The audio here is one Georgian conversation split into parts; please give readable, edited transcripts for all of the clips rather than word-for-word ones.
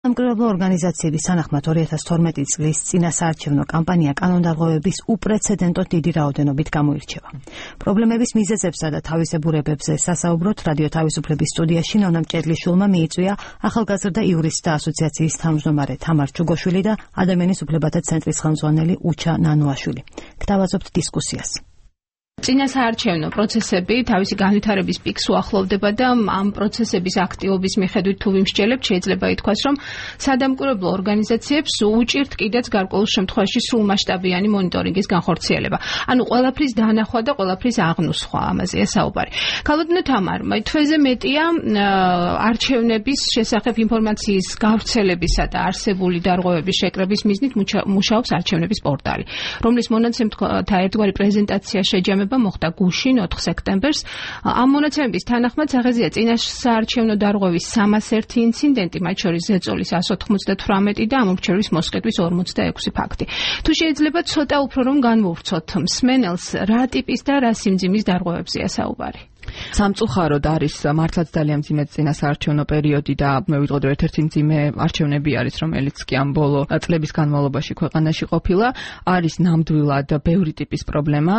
სამკურნალო ორგანიზაციების თანახმად 2012 წლის წინასაარჩევნო კამპანია კანონდარღვევების უპრეცედენტოდ დიდი რაოდენობით გამოირჩევა. პრობლემების მიზეზებსა და თავისებურებებზე სასაუბროთ რადიო თავისუფლების სტუდიაში ნონა მჭედლიშვილმა მიიწვია ახალგაზრდა იურისტთა ასოციაციის თავმჯდომარე თამარ ჩუგოშვილი და ადამიანის უფლებათა ცენტრის ხელმძღვანელი უჩა ნანუაშვილი. გთავაზობთ დისკუსიას. წინასაარჩევნო პროცესები თავისი განვითარების პიკს უახლოვდება და ამ პროცესების აქტივობის მიხედვით თუ ვიმსჯელებთ, შეიძლება ითქვას, რომ სადამკვირვებლო ორგანიზაციებს უჭირთ კიდეც გარკვეულ შემთხვევაში სრულმასშტაბიანი მონიტორინგის განხორციელება. ანუ ყველაფრის დანახვა და ყველაფრის აღნუსხვა, ამაზეა საუბარი. ქალბატონო თამარ, თვეზე მეტია არჩევნების შესახებ ინფორმაციის გავრცელებისა და არსებული დარღვევების შეკრების მიზნით მუშაობს არჩევნების პორტალი, რომლის მონაცემთა ერთგვარი პრეზენტაცია შეჯამება მოხდა გუშინ 4 სექტემბერს. ამ მონაცემების თანახმად სახეზეა წინასაარჩევნო დარღვევის 301 ინციდენტი, მათ შორის ზეწოლის 198 და ამორჩევის მოსყიდვის 46 ფაქტი. თუ შეიძლება ცოტა უფრო რომ განვავრცოთ მსმენელს, რა ტიპის და რა სიმძიმის დარღვევებზეა საუბარი? სამწუხაროდ არის მართლაც ძალიან მძიმე წინასაარჩევნო პერიოდი და მე ვიტყოდ რომ ერთ-ერთი მძიმე არჩევნები არის, რომელიც კი ამ ბოლო წლების განმავლობაში ქვეყანაში ყოფილა. არის ნამდვილად ბევრი ტიპის პრობლემა,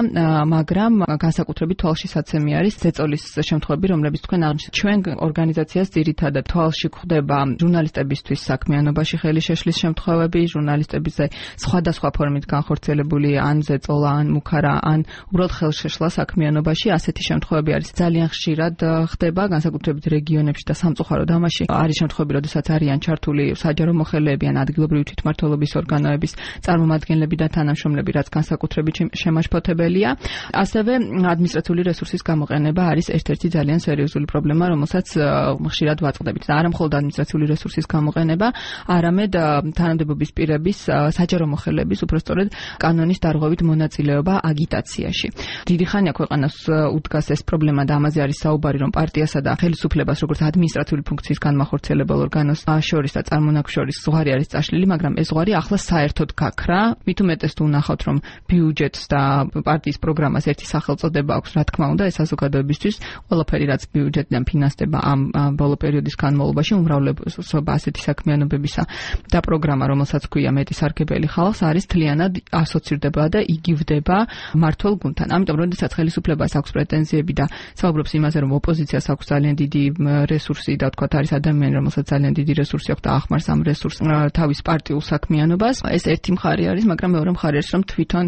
მაგრამ განსაკუთრებით თვალშისაცემი არის ზეწოლის შემთხვევები, რომლებიც თქვენ აღნიშნეთ. ჩვენ ორგანიზაციას ძირითადად თვალში გვხვდება ჟურნალისტებისთვის საქმიანობაში ხელი შეშლის შემთხვევები, ჟურნალისტებზე სხვადასხვა ფორმით განხორციელებული ან ზეწოლა, ან მუქარა, ან უბრალოდ ხელშეშლა საქმიანობაში. ასეთი შემთხვევები არის ძალიან ხშირად ხდება, განსაკუთრებით რეგიონებში და სამწუხაროდ ამაში არის შემთხვევები, როდესაც არიან ჩართული საჯარო მოხელეები ან ადგილობრივი თვითმმართველობის ორგანოების წარმომადგენლები და თანამშრომლები, რაც განსაკუთრებით შემაშფოთებელია. ასევე ადმინისტრაციული რესურსის გამოყენება არის ერთ-ერთი ძალიან სერიოზული პრობლემა, რომელსაც ხშირად ვაწყდებით. და არა მხოლოდ ადმინისტრაციული რესურსის გამოყენება, არამედ თანამდებობის პირების საჯარო მოხელეების უпростоრედ კანონის დარღვევით მონაწილეობა აგიტაციაში. დიდი ხანია ქვეყანას უდგას ეს პრობლემა და ამაზე არის საუბარი, რომ პარტიასა და ხელისუფლებას როგორც ადმინისტრაციული ფუნქციის განმახორციელებელ ორგანოს შორის და წარმონაქმნ შორის ზღვარი არის წაშლილი, მაგრამ ეს ზღვარი ახლა საერთოდ გაქრა. მით უმეტეს თუ ვნახავთ, რომ ბიუჯეტს და პარტიის პროგრამას ერთი სახელწოდება აქვს, რა თქმა უნდა, ეს საზოგადოებისთვის ყველაფერი, რაც ბიუჯეტიდან ფინანსდება ამ ბოლო პერიოდის განმავლობაში, უმრავლესობა ასეთი საქმიანობებისა და პროგრამა, რომელსაც ქვია მეტი სარგებელი ხალხს, არის თლიანად ასოცირდება და იგივდება მმართველ გუნდთან. ამიტომ, როდესაც ხელისუფლებას აქვს პრეტენზიები და საუბრობს იმაზე, რომ ოპოზიციას აქვს ძალიან დიდი რესურსი და თქვათ არის ადამიანი, რომელსაც ძალიან დიდი რესურსი აქვს და ახმარს ამ რესურსს თავის პარტიულ საქმიანობას. ეს ერთი მხარე არის, მაგრამ მეორე მხარე არის, რომ თვითონ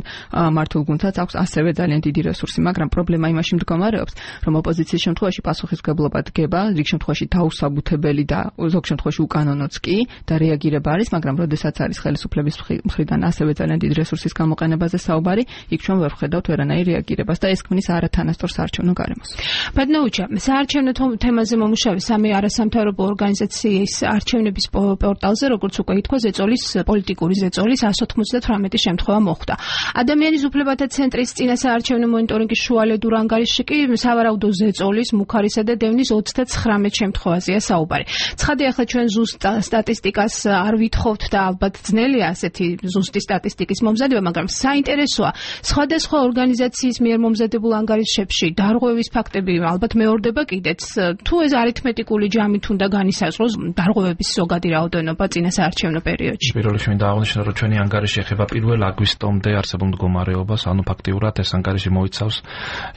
მმართველ გუნდსაც აქვს ასევე ძალიან დიდი რესურსი, მაგრამ პრობლემა იმაში მდგომარეობს, რომ ოპოზიციის შემთხვევაში პასუხისმგებლობა დგება, რიგ შემთხვევაში დაუსაბუთებელი და ზოგ შემთხვევაში უკანონოც კი და რეაგირება არის, მაგრამ როდესაც არის ხელისუფლების მხრიდან ასევე ძალიან დიდი რესურსის გამოყენებაზე საუბარი, იქ ჩვენ ვერ ვხედავთ ვერანაირ რეაგირებას და ეს ქმნის არათანასწორ საარჩევნო გარემოს. ბატონოუჩა, საარჩევნო თემაზე მომუშავე სამი არასამთავრობო ორგანიზაციის არჩევნების პორტალზე, როგორც უკვე ითქვა, ზეწოლის პოლიტიკური ზეწოლის 198 შემთხვევა მოხდა. ადამიანის უფლებათა ცენტრის წინასაარჩევნო მონიტორინგის შუალედურ ანგარიშში კი სავარაუდო ზეწოლის, მუქარისა და დევნის 39 შემთხვევაზეა საუბარი. ცხადია, ახლა ჩვენ ზუსტ სტატისტიკას არ ვითხოვთ და ალბათ ძნელია ასეთი ზუსტი სტატისტიკის მომზადება, მაგრამ საინტერესოა სხვადასხვა ორგანიზაციის მიერ მომზადებულ ანგარიშებში დარღვევის ფაქტები ალბათ მეორდება კიდეც. თუ ეს არითმეტიკული ჯამით უნდა განისაზღვროს დარღვევების ზოგადი რაოდენობა წინასაარჩევნო პერიოდში. პირველ რიგში მინდა აღნიშნო, რომ ჩვენი ანგარიში ეხება 1 აგვისტომდე არსებულ მდგომარეობას, ანუ ფაქტიურად ეს ანგარიში მოიცავს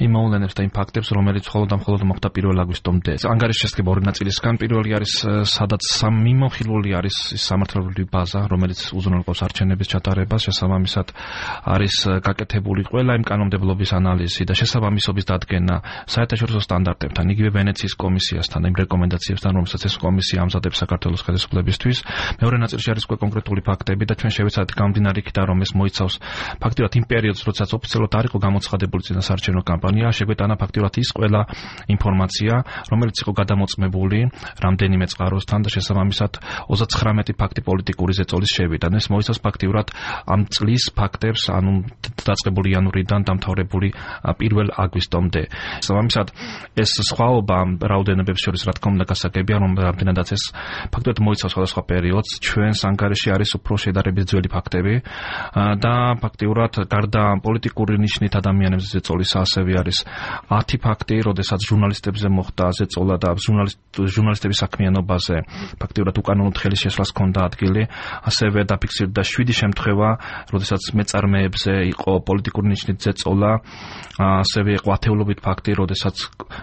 იმ მოვლენებს და იმ ფაქტებს, რომელიც მხოლოდ მოხდა 1 აგვისტომდე. ანგარიში შედგება ორი ნაწილისგან. პირველი არის, სადაც მიმოხილული არის სამართლებრივი ბაზა, რომელიც უზრუნველყოფს არჩევნების ჩატარებას, შესაბამისად არის გაკეთებული ყველა იმ კანონმდებლობის ანალიზი და შესაბამისობის დადგენა საერთაშორისო სტანდარტებთან, იგივე ვენეციის კომისიასთან, იმ რეკომენდაციებთან, რომელსაც ეს კომისია ამზადებს საქართველოს ხელისუფლებისთვის. მეორე ნაწილში არის კონკრეტული ფაქტები და ჩვენ შევეცადეთ გამომდინარე იქიდან, რომ ეს მოიცავს ფაქტიურად იმ პერიოდს, როდესაც ოფიციალურად არ იყო გამოცხადებული წინასაარჩევნო კამპანია, შეგვეტანა ფაქტიურად ის ყველა ინფორმაცია, რომელიც იყო გადამოწმებული რამდენიმე წყაროსთან და შესაბამისად 39 ფაქტი პოლიტიკური ზეწოლის შევიდა. ეს მოიცავს ფაქტიურად ამ წლის ფაქტებს, ანუ დაწყებული იანვრიდან დამთავრებული 1 აგვისტომდე. შესაბამისად ეს სხვაობა რაოდენობებს შორის რა თქმა უნდა გასაგებია, რომ რამდენადაც ეს ფაქტობრივად მოიცავს სხვადასხვა პერიოდს, ჩვენს ანგარიში არის უფრო შედარებით ძველი ფაქტები და ფაქტიურად გარდა პოლიტიკური ნიშნით ადამიანებზე ზეწოლისა ასევე არის 10 ფაქტი, როდესაც ჟურნალისტებზე მოხდა ზეწოლა და ჟურნალისტების საქმიანობაზე ფაქტიურად უკანონოდ ხელის შესვლას ჰქონდა ადგილი, ასევე დაფიქსირდა 7 შემთხვევა, როდესაც მეწარმეებზე იყო პოლიტიკური ნიშნით ზეწოლა, ასევე იყო ათეულობით ფაქტი, როდესაც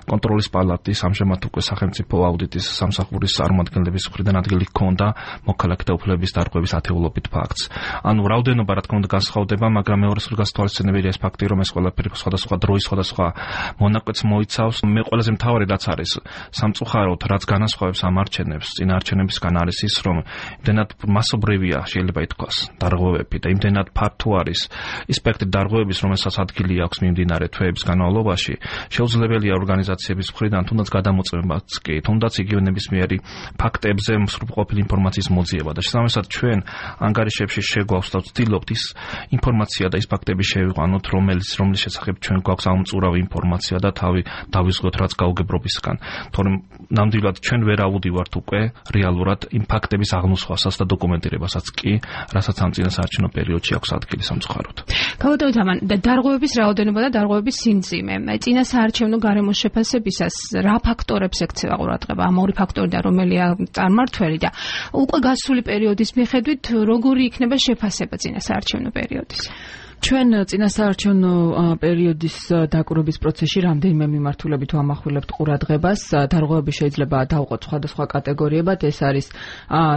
კონტროლის პალატის ამჟამად უკვე სახელმწიფო აუდიტის სამსახურის წარმომადგენლების მხრიდან ადგილი ჰქონდა მოქალაქეთა უფლებების დარღვევის ათეულობით ფაქტს. ანუ რაოდენობა რა თქმა უნდა განსხვავდება, მაგრამ მეორე სულ გასათვალისწინებელია ეს ფაქტი, რომ ეს ყველაფერი სხვადასხვა დროის სხვადასხვა მონაკვეთს მოიცავს. მე ყველაზე მთავარი რაც არის სამწუხაროდ, რაც განასხვავებს ამ არჩევნებს წინა არჩევნებისგან არის ის, რომ იმდენად მასობრივია შეიძლება ითქვას დარღვევები და იმდენად ფართო არის ის სპექტრი დარღვევების, რომელსაც ადგილი აქვს მიმდინარე თვეების განმავლობაში, შეუძლებელია ორგანიზაციების მხრიდან თუნდაც გადამოწმებაც კი, თუნდაც იგივე ნებისმიერი ფაქტებზე მსრულყოფილი ინფორმაციის მოძიება და შესაბამისად ჩვენ ანგარიშებში შეგვაქვს და ვცდილობთ ის ინფორმაცია და ის ფაქტები შევიყვანოთ, რომლის შესახებ ჩვენ გვაქვს ამოწურავი ინფორმაცია და თავი დავიზღოთ რაც გაუგებრობისგან. თორემ ნამდვილად ჩვენ ვერ ავუდივართ უკვე რეალურად იმ ფაქტების აღმოსხვასაც და დოკუმენტირებასაც კი, რასაც ამ წინასაარჩევნო პერიოდში აქვს ადგილი სამწუხაროდ. გავადოთ ამან დარღვევების რაოდენობა და დარღვევების სიმძიმე. წინასაარჩევნო გარემოს შეფასებისას რა ფაქტორებს ექცევა ყურადღება? ამ ორი ფაქტორიდან რომელია წარმმართველი და უკვე გასული პერიოდის მიხედვით როგორი იქნება შეფასება წინასაარჩევნო პერიოდის? ჩვენ წინასაარჩევნო პერიოდის დაკვირვების პროცესში რამდენიმე მიმართულებით ვამახვილებთ ყურადღებას. დარღვევები შეიძლება დავყოთ სხვადასხვა კატეგორიებად. ეს არის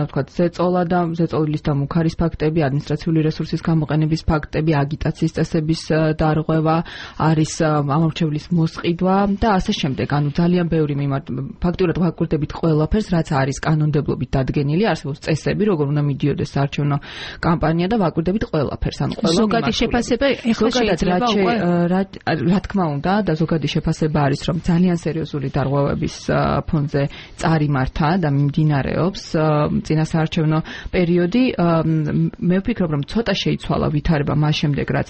თქვათ ზეწოლა და ზეწოლის და მუქარის ფაქტები, ადმინისტრაციული რესურსის გამოყენების ფაქტები, აგიტაციის წესების დარღვევა, არის ამორჩევლის მოსყიდვა და ასე შემდეგ. ანუ ძალიან ბევრი ფაქტურად ვაკვირდებით ყველაფერს, რაც არის კანონმდებლობით დადგენილი, არსებობს წესები, როგორ უნდა მიდიოდეს საარჩევნო კამპანია და ვაკვირდებით ყველაფერს. ანუ ყველა შეფასება ეხლა შეიძლება უკვე რა თქმა უნდა და ზოგადი შეფასება არის რომ ძალიან სერიოზული დარღვევების ფონზე წარიმართა და მიმდინარეობს წინასაარჩევნო პერიოდი. მე ვფიქრობ რომ ცოტა შეიცვალა ვითარება მას შემდეგ რაც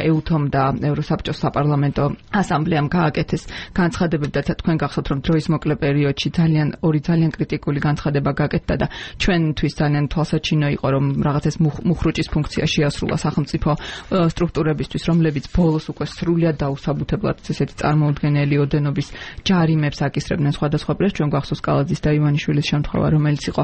ეუთომ და ევროსაბჭოს საპარლამენტო ასამბლეამ გააკეთეს განცხადებები და თქვენ გახსოვთ რომ დროის მოკლე პერიოდში ძალიან კრიტიკული განცხადება გააკეთა და ჩვენთვის ძალიან თვალსაჩინო იყო რომ რაღაცას მუხრუჭის ფუნქცია შეასრულა სახელმწიფო სტრუქტურებისთვის, რომლებიც ბოლოს უკვე სრულიად დაუსაბუთებლად ესეთი წარმოუდგენელი ოდენობის ჯარიმებს აკისრებდნენ სხვადასხვა პირებს. ჩვენ გვახსოვს კალაძის და ივანიშვილის შემთხვევა, რომელიც იყო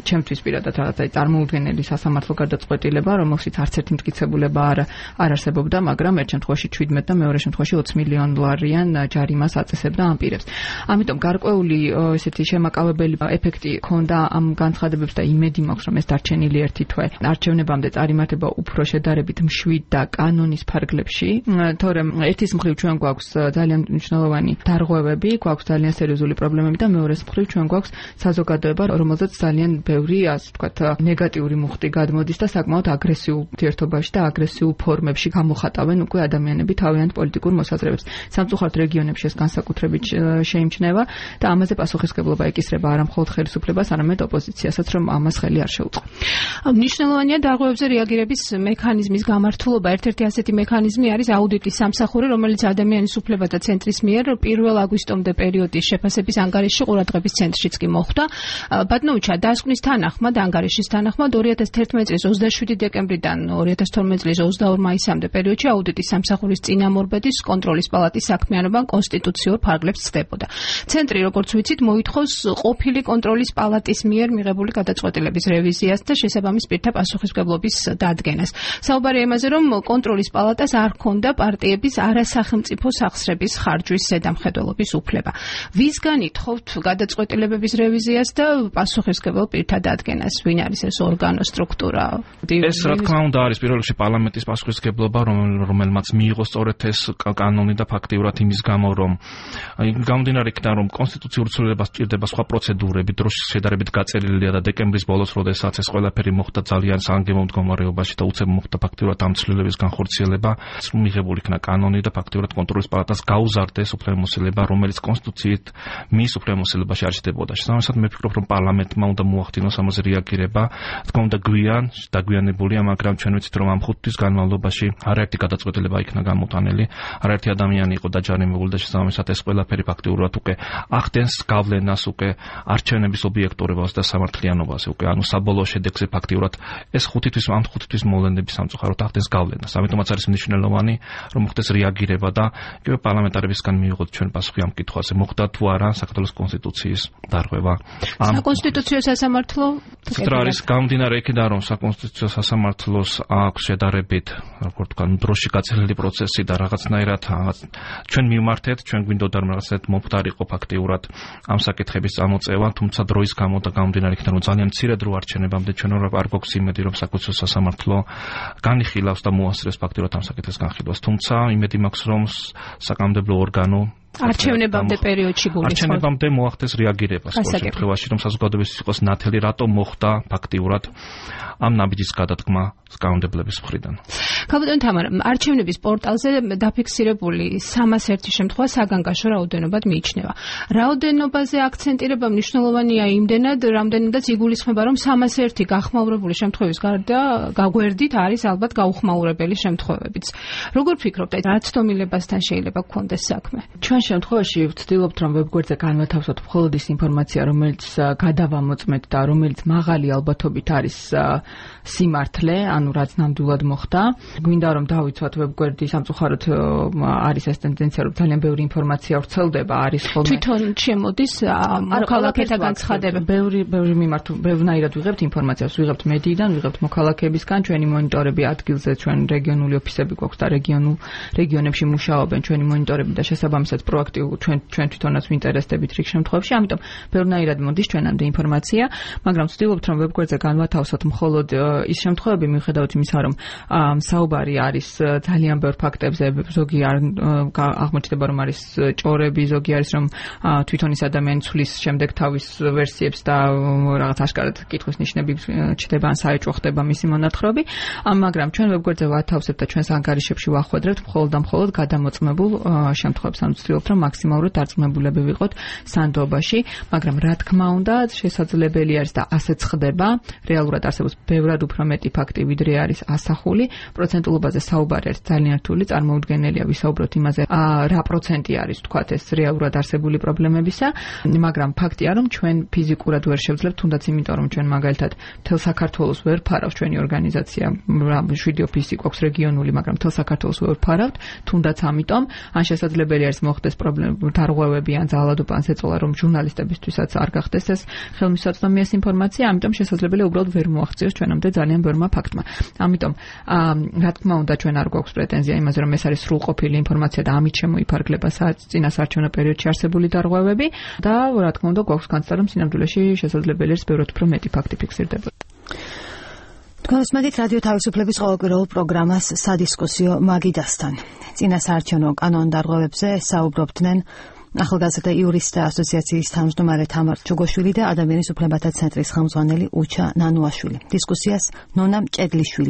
ჩემთვის პირადად რაღაცა წარმოუდგენელი სასამართლო გადაწყვეტილება, რომელშიც არც ერთი მტკიცებულება არ არსებობდა, მაგრამ ერთ შემთხვევაში 17 და მეორე შემთხვევაში 20 მილიონ დოლარიან ჯარიმას აწესებდა ამ პირებს. ამიტომ გარკვეული ესეთი შემაკავებელი ეფექტი ჰქონდა ამ განცხადებებს და იმედი მაქვს, რომ ეს დარჩენილი ერთი თვე არჩევნებამდე წარიმართება უფრო შედარებით მშვიდ და კანონის ფარგლებში, თორემ ერთის მხრივ ჩვენ გვაქვს ძალიან მნიშვნელოვანი დარღვევები, გვაქვს ძალიან სერიოზული პრობლემები და მეორეს მხრივ ჩვენ გვაქვს საზოგადოება, რომელზეც ძალიან ბევრი, ასე ვთქვათ, ნეგატიური მუხტი გადმოდის და საკმაოდ აგრესიულ ურთიერთობაში და აგრესიულ ფორმებში გამოხატავენ უკვე ადამიანები თავიანთ პოლიტიკურ მოსაზრებებს. სამწუხაროდ რეგიონებში ეს განსაკუთრებით შეიმჩნევა და ამაზე პასუხისმგებლობა ეკისრება არა მხოლოდ ხელისუფლებას, არამედ ოპოზიციასაც, რომ ამას ხელი არ შეუწყო. მნიშვნელოვანია დარღვევებზე რეაგირების მექანიზმის გამართულობა. ერთ-ერთი ასეთი მექანიზმი არის აუდიტის სამსახური, რომელიც ადამიანის უფლებათა ცენტრის მიერ 1 აგვისტომდე პერიოდის შეფასების ანგარიშში ყურადღების ცენტრშიც კი მოხვდა. ბატონოვიჩა, დასკვნის თანახმად, ანგარიშის თანახმად 2011 წლის 27 დეკემბრიდან 2012 წლის 22 მაისამდე პერიოდში აუდიტის სამსახურის წინამორბედის კონტროლის პალატის საქმიანობა კონსტიტუციურ ფარგლებს ცდებოდა. ცენტრი, როგორც ვიცით, მოითხოვს ყოფილი კონტროლის პალატის მიერ მიღებული გადაწყვეტილების რევიზიას და შესაბამის პირთა პასუხისმგებლობის დადგენას. საუბარია იმაზე, რომ კონტროლის პალატას არ ჰქონდა პარტიების არასახელმწიფო სახსრების ხარჯვის ზედამხედველობის უფლება. ვისგან ითხოვთ გადაწყვეტილებების რევიზიას და პასუხისმგებელ პირთა დადგენას? ვინ არის ეს ორგანო, სტრუქტურა? ეს რა თქმა უნდა არის პირველ რიგში პარლამენტის პასუხისმგებლობა, რომელმაც მიიღო სწორედ ეს კანონი და ფაქტიურად იმის გამო, რომ გამომდინარე იქიდან, რომ კონსტიტუციურ ცვლილებას სჭირდება სხვა პროცედურები, დროშის შედარებით გაწერილია და დეკემბრის ბოლოს, როდესაც ეს ყველაფერი მოხდა ძალიან სანგემო მდგომარეობაში და უცებ მოხდა ფაქტიურად ამ ცვლილების განხორციელება, მიღებული იქნა კანონი და ფაქტიურად კონტროლის პალატას გაუზარდეს უფლებამოსილება, რომელიც კონსტიტუციით მის უფლებამოსილებაში არ ჩნდებოდა. შესაბამისად, მე ვფიქრობ, რომ პარლამენტმა უნდა მოახდინოს ამაზე რეაგირება. თქმა უნდა, დაგვიანებულია, მაგრამ ჩვენ ვიცით, რომ ამ 5 თვის განმავლობაში არაერთი გადაწყვეტილება იქნა გამოტანილი, არაერთი ადამიანი იყო დაჯანმრთელებული და შესაბამისად ეს ყველაფერი ფაქტიურად უკვე ახდენს გავლენას უკვე არჩევნების ობიექტურობას და სამართლიანობას უკვე, ანუ საბოლოო შედეგზე ფაქტიურად ეს 5 თვის მოვლენების სამწუხაროდ ახდენს გავლენას. ამიტომაც არის მნიშვნელოვანი, რომ მოხდეს რეაგირება და იგივე პარლამენტარებისგან მიიღოთ ჩვენ პასუხი ამ კითხვაზე, მოხდა თუ არა საქართველოს კონსტიტუციის დარღვევა. საკონსტიტუციო სასამართლო არის გამომდინარე იქიდან, რომ საკონსტიტუციო სასამართლოს აქვს შედარებით, როგორ თქვა, დროში გაწელილი პროცესი და რაღაცნაირად ჩვენ მივმართეთ, ჩვენ გვინდოდა რომ რაღაცნაირად მომხდარიყო ფაქტიურად ამ საკითხების წამოწევა, თუმცა დროის გამო და გამომდინარე იქიდან, რომ ძალიან მცირე დრო არჩევნებამდე ჩვენ არ გვაქვს იმედი, რომ საკონსტიტუციო სასამართლო განიხილავს და მოასწრებს ფაქტიურად ამ საკითხის განხილვას. თუმცა იმედი მაქვს, რომ საკანონმდებლო ორგანო არჩევნებამდე პერიოდში გულისხმობს. არჩევნებამდე მოახდეს რეაგირება სხვა შემთხვევაში, რომ საზოგადოების იყოს ნათელი, რატომ მოხდა ფაქტიურად ამ ნაბიჯის გადადგმა კანონმდებლების მხრიდან. კაპიტან თამარა, არჩევნების პორტალზე დაფიქსირებული 301 შემთხვევა საგანგაშო რაოდენობად მიიჩნევა. რაოდენობაზე აქცენტირება მნიშვნელოვანია იმდენად, რამდენადაც იგულისხმება, რომ 301 გახმაურებული შემთხვევის გარდა გაგვერდით არის ალბათ გაუხმაურებელი შემთხვევებიც. როგორ ფიქრობთ, რა ცდომილებასთან შეიძლება გქონდეს საქმე? ჩვენ შემთხვევაში ვცდილობთ, რომ ვებგვერდზე განვათავსოთ მხოლოდ ის ინფორმაცია, რომელიც გადავამოწმეთ და რომელიც მაღალი ალბათობით არის სიმართლე, ანუ რაც ნამდვილად მოხდა. გვინდა რომ დავიცვათ ვებგვერდი, სამწუხაროდ არის ეს ტენდენცია, რომ ძალიან ბევრი ინფორმაცია ვრცელდება, არის ხოლმე. თვითონ შემოდის მოქალაქეთა ცხადება. ბევრი მიმართულ, ბევრნაირად ვიღებთ ინფორმაციას, ვიღებთ მედიიდან, ვიღებთ მოქალაქეებისგან, ჩვენი მონიტორები ადგილზე, ჩვენ რეგიონული ოფისები გვაქვს და რეგიონებში მუშაობენ ჩვენი მონიტორები და შესაბამისად პროაქტიულ ჩვენ თვითონაც ვინტერესდებით რიგ შემთხვევებში, ამიტომ ბევრნაირად მოდის ჩვენამდე ინფორმაცია, მაგრამ ვცდილობთ რომ ვებგვერდზე განვათავსოთ მხოლოდ ის შემთხვევები, მიუხედავად იმისა, რომ საუბარი არის ძალიან ბევრ ფაქტებზე, ზოგი აღმოჩნდება რომ არის ჭორები, ზოგი არის რომ თვითონ ის ადამიანი ცვლის შემდეგ თავის ვერსიებს და რაღაც აშკარად კითხვის ნიშნები ჩდება ან საეჭვო ხდება მისი მონათხრობი, მაგრამ ჩვენ ვებგვერდზე ვათავსებთ და ჩვენს ანგარიშებში ვახვედრებთ მხოლოდ და მხოლოდ გადამოწმებულ შემთხვევებს, ანუ ვცდილობთ რომ მაქსიმალურად დარწმუნებულები ვიყოთ სანდოობაში, მაგრამ რა თქმა უნდა შესაძლებელი არის და ასეც ხდება, რეალურად არსებობს ბევრად უფრო მეტი ფაქტი, ვიდრე არის ასახული, პროცენტულობაზე საუბარი არის ძალიან რთული, წარმოუდგენელია ვისაუბროთ იმაზე, რა პროცენტი არის თქვათ ეს რეალურად არსებული პრობლემებისა, მაგრამ ფაქტია რომ ჩვენ ფიზიკურად ვერ შევძლებთ, თუნდაც იმიტომ რომ ჩვენ მაგალითად მთელ საქართველოს ვერ ფარავს ჩვენი ორგანიზაცია, 7 ოფისი გვაქვს რეგიონული, მაგრამ მთელ საქართველოს ვერ ფარავთ, თუნდაც ამიტომ ან შესაძლებელი არის მოხდეს დარღვევები ან ძალადობა ან ზეწოლა, რომ ჟურნალისტებისთვისაც არ გახდეს ეს ხელმისაწვდომი ეს ინფორმაცია, ამიტომ შესაძლებელია უბრალოდ ვერ მოაღწიოს ჩვენამდე ძალიან ბევრმა ფაქტმა. ამიტომ რა თქმა უნდა ჩვენ არ გვაქვს პრეტენზია იმაზე, რომ ეს არის სრულყოფილი ინფორმაცია და ამით შემოიფარგლება წინასარჩევნო პერიოდში არსებული დარღვევები და რა თქმა უნდა გვაქვს განცდა, რომ სინამდვილეში შესაძლებელი არის ბევრად უფრო მეტი ფაქტი ფიქსირდება. გასმედით რადიო თავისუფლების ყოველკვირეულ პროგრამას სადისკუსიო მაგიდასთან. წინასაარჩევნო კანონდარღვევებზე საუბრობდნენ ახალგაზრდა იურისტთა ასოციაციის თავმჯდომარე თამარ ჩუგოშვილი და ადამიანის უფლებათა ცენტრის ხელმძღვანელი უჩა ნანუაშვილი. დისკუსიას ნონა მჭედლიშვილი